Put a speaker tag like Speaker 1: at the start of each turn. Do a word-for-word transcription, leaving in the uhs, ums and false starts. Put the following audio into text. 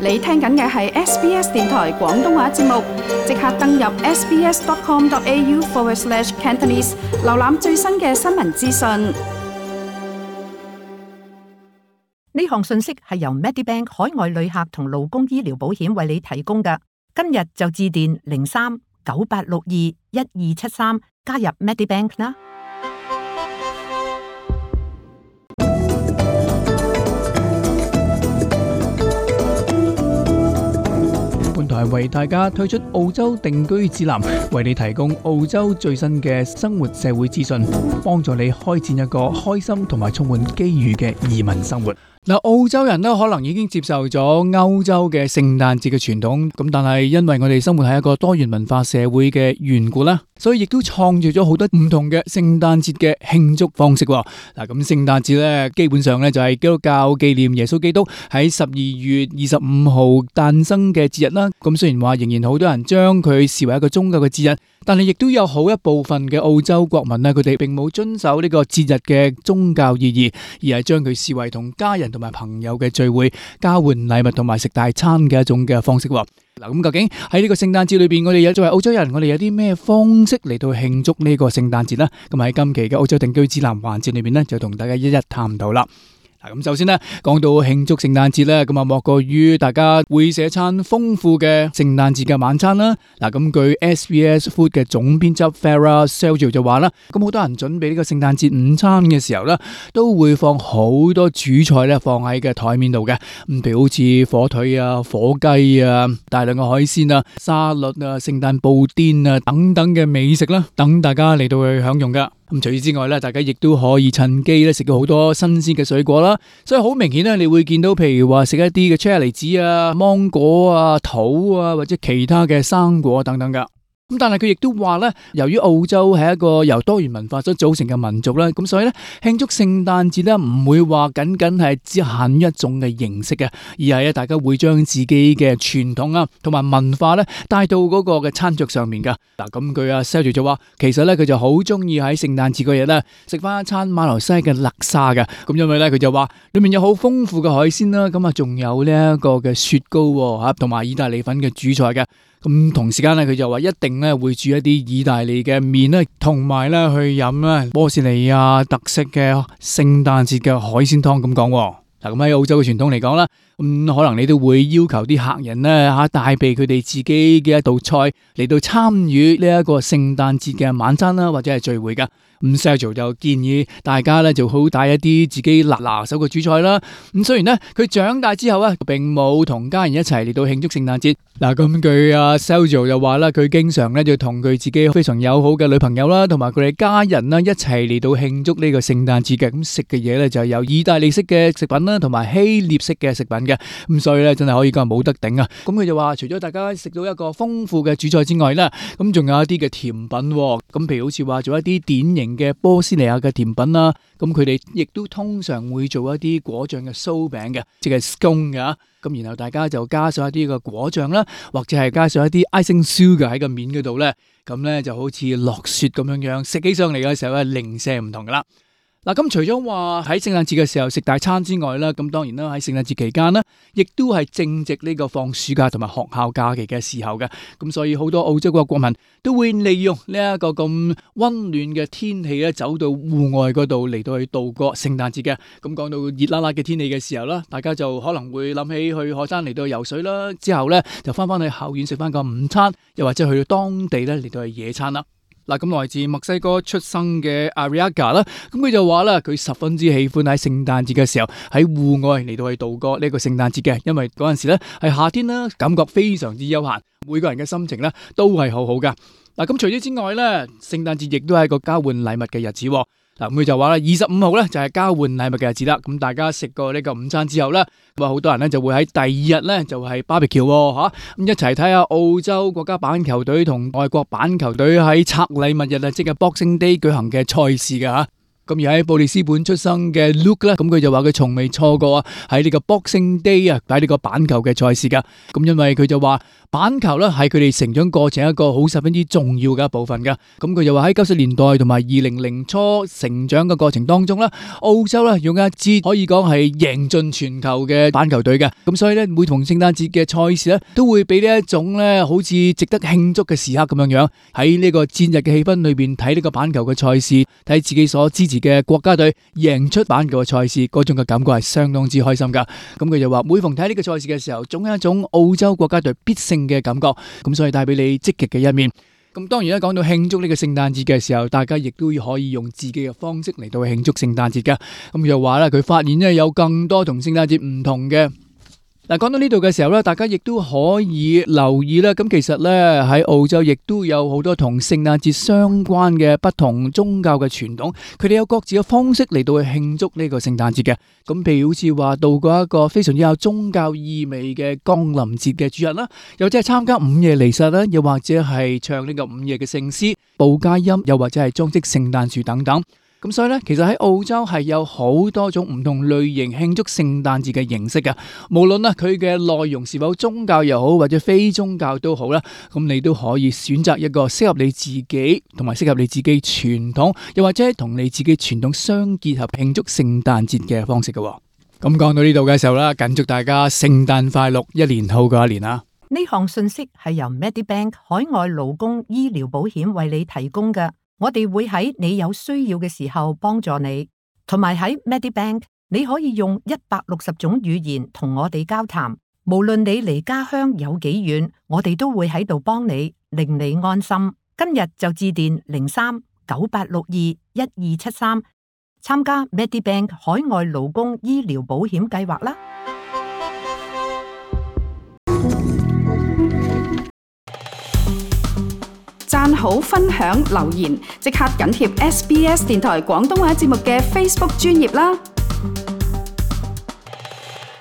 Speaker 1: 你聽緊嘅係 S B S 電台廣東話節目，即刻登入 sbs.com.au forward slash Cantonese， 瀏覽最新嘅新聞資訊。
Speaker 2: 呢項信息係由 Medibank 海外旅客同勞工醫療保險為你提供嘅。今日就致電零三九八六二一二七三加入 Medibank 啦。
Speaker 3: 本台為大家推出澳洲定居指南，為你提供澳洲最新嘅生活社會資訊，幫助你開展一個開心同埋充滿機遇嘅移民生活。嗱，澳洲人呢可能已經接受咗歐洲嘅聖誕節嘅傳統，咁但係因為我哋生活喺一個多元文化社會嘅緣故啦，所以亦都創造咗好多唔同嘅聖誕節嘅慶祝方式。嗱，咁聖誕節咧基本上咧就係基督教紀念耶穌基督喺十二月二十五號誕生嘅節日啦。咁雖然話仍然好多人將佢視為一個宗教嘅節日，但係亦都有好一部分嘅澳洲國民咧，佢哋並冇遵守呢個節日嘅宗教意義，而係將佢視為同家人同埋朋友嘅聚會、交換禮物同埋食大餐嘅一種嘅方式。嗱，咁究竟喺呢個聖誕節裏邊，我哋有作為澳洲人，我哋有啲咩方式嚟到慶祝呢個聖誕節呢？咁喺今期嘅澳洲定居指南環節裏邊呢，就同大家一一探討啦。咁首先呢，講到慶祝聖誕節咧，咁啊莫過於大家會食一餐豐富嘅聖誕節嘅晚餐啦。嗱，咁據 S B S Food 嘅總編輯 Farah Seljo 就話啦，咁好多人準備呢個聖誕節午餐嘅時候咧，都會放好多主菜咧放喺嘅台面度嘅，咁譬如好似火腿啊、火雞啊、大量嘅海鮮啊、沙律啊、聖誕布甸啊等等嘅美食啦，等大家嚟到去享用噶。咁除此之外咧，大家亦都可以趁機咧食到好多新鮮嘅水果啦，所以好明顯咧，你會見到譬如話食一啲嘅車厘子啊、芒果啊、桃啊或者其他嘅生果等等噶。咁但係佢亦都話咧，由於澳洲係一個由多元文化所組成嘅民族啦，咁所以咧慶祝聖誕節咧唔會話僅僅係只限於一種嘅形式嘅，而係咧大家會將自己嘅傳統啊同埋文化咧帶到嗰個嘅餐桌上面噶。嗱，咁佢阿 Seljo 就話，其實咧佢就好中意喺聖誕節嗰日咧食翻一餐馬來西亞嘅叻沙嘅，咁因為咧佢就話裏面有好豐富嘅海鮮啦，咁啊仲有呢一個嘅雪糕吓，同埋意大利粉嘅主菜嘅。咁同時間咧，佢就話一定咧會煮一啲意大利嘅麵咧，同埋咧去飲咧波士尼亞特色嘅聖誕節嘅海鮮湯咁講。嗱，咁喺澳洲嘅傳統嚟講啦，咁可能你都會要求啲客人咧吓帶備佢哋自己嘅一道菜嚟到參與呢一個聖誕節嘅晚餐啦，或者係聚會噶。咁 Seljo 就建議大家咧就好帶一啲自己拿拿手嘅主菜啦。咁雖然咧佢長大之後咧並冇同家人一齊嚟到慶祝聖誕節。嗱，咁佢阿 Seljo 就話啦，佢經常咧就同佢自己非常友好嘅女朋友啦，同埋佢哋家人啦一齊嚟到慶祝呢個聖誕節嘅。咁食嘅嘢咧就係有意大利式嘅食品啦，同埋希臘式嘅食品嘅。咁所以咧真係可以講冇得頂啊！咁佢就話除咗大家食到一個豐富嘅主菜之外咧，咁仲有一啲嘅甜品。咁譬如好似話做一啲典型嘅波斯尼亞嘅甜品啦，咁佢哋亦都通常會做一啲果醬嘅酥餅嘅，即係 scone 嘅。咁然後大家就加上一啲嘅果醬啦，或者係加上一啲 icing sugar 喺個面嗰度咧，咁咧就好似落雪咁樣樣，食起上嚟嘅時候咧零舍唔同噶啦。嗱，咁除咗話喺聖誕節嘅時候食大餐之外啦，咁當然啦喺聖誕節期間啦，亦都係正值呢個放暑假同埋學校假期嘅時候嘅，咁所以好多澳洲嘅國民都會利用呢一個咁溫暖嘅天氣咧，走到戶外嗰度嚟到去度過聖誕節嘅。咁講到熱辣辣嘅天氣嘅時候啦，大家就可能會諗起去海灘嚟到游水啦，之後咧就翻翻去校園食翻個午餐，又或者去到當地咧嚟到去野餐啦。嗱，咁來自墨西哥出生嘅 Ariaga 啦，咁佢就話啦，佢十分之喜歡喺聖誕節嘅時候喺戶外嚟到去度過呢個聖誕節嘅，因為嗰陣時咧係夏天啦，感覺非常之悠閒，每個人嘅心情咧都係好好噶。嗱，咁除此之外咧，聖誕節亦都係一個交換禮物嘅日子。嗱，咁佢就話啦，二十五號咧就係交換禮物嘅日子啦。咁大家食過呢個午餐之後咧，咁啊好多人咧就會喺第二日咧就係 barbecue 吓，咁一齊睇下澳洲國家板球隊同外國板球隊喺拆禮物日啊，即係 Boxing Day 舉行嘅賽事嘅吓。咁而喺布里斯本出生嘅 Luke 咧，咁佢就話佢從未錯過啊喺呢個 Boxing Day 啊擺呢個板球嘅賽事噶。咁因為佢就話板球咧係佢哋成長過程一個好十分之重要嘅一部分噶。咁佢就話喺九十年代同埋二零零初成長嘅過程當中咧，澳洲咧擁有一支可以講係贏盡全球嘅板球隊嘅。咁所以咧每逢聖誕節嘅賽事咧，都會俾呢一種咧好似值得慶祝嘅時刻咁樣樣，喺呢個節日嘅氣氛裏邊睇呢個板球嘅賽事，睇自己所支持嘅國家隊贏出板球嘅賽事，嗰種嘅感覺係相當之開心噶。咁佢就話每逢睇呢個賽事嘅時候，總有一種澳洲國家隊必勝嘅感覺，咁所以帶俾你積極嘅一面。咁當然啦，講到慶祝呢個聖誕節嘅時候，大家亦都可以用自己嘅方式嚟到慶祝聖誕節噶。咁又話啦，佢發現咧有更多同聖誕節唔同嘅。嗱，講到呢度嘅時候咧，大家亦都可以留意啦。咁其實咧喺澳洲亦都有好多同聖誕節相關嘅不同宗教嘅傳統，佢哋有各自嘅方式嚟到去慶祝呢個聖誕節嘅。咁譬如好似話度過一個非常之有宗教意味嘅降臨節嘅主日啦，又或者係參加午夜彌撒啦，又或者係唱呢個午夜嘅聖詩、報佳音，又或者係裝飾聖誕樹等等。咁所以咧，其實喺澳洲係有好多種唔同類型慶祝聖誕節嘅形式嘅，無論啊佢嘅內容是否宗教又好，或者非宗教都好啦，咁你都可以選擇一個適合你自己同埋適合你自己傳統，又或者同你自己傳統相結合慶祝聖誕節嘅方式嘅。咁講到呢度嘅時候啦，謹祝大家聖誕快樂，一年好過一年啦！
Speaker 2: 呢項信息係由 Medibank 海外勞工醫療保險為你提供嘅。我哋會喺你有需要嘅時候幫助你，同埋喺 Medibank 你可以用一百六十種語言同我哋交談，無論你離家鄉有幾遠，我哋都會喺度幫你，令你安心。今日就致電零三九八六二一二七三，參加 Medibank 海外勞工醫療保險計劃啦。
Speaker 1: 讚好、分享、留言，即刻緊貼 S B S 電台廣東話節目嘅 Facebook 專頁啦！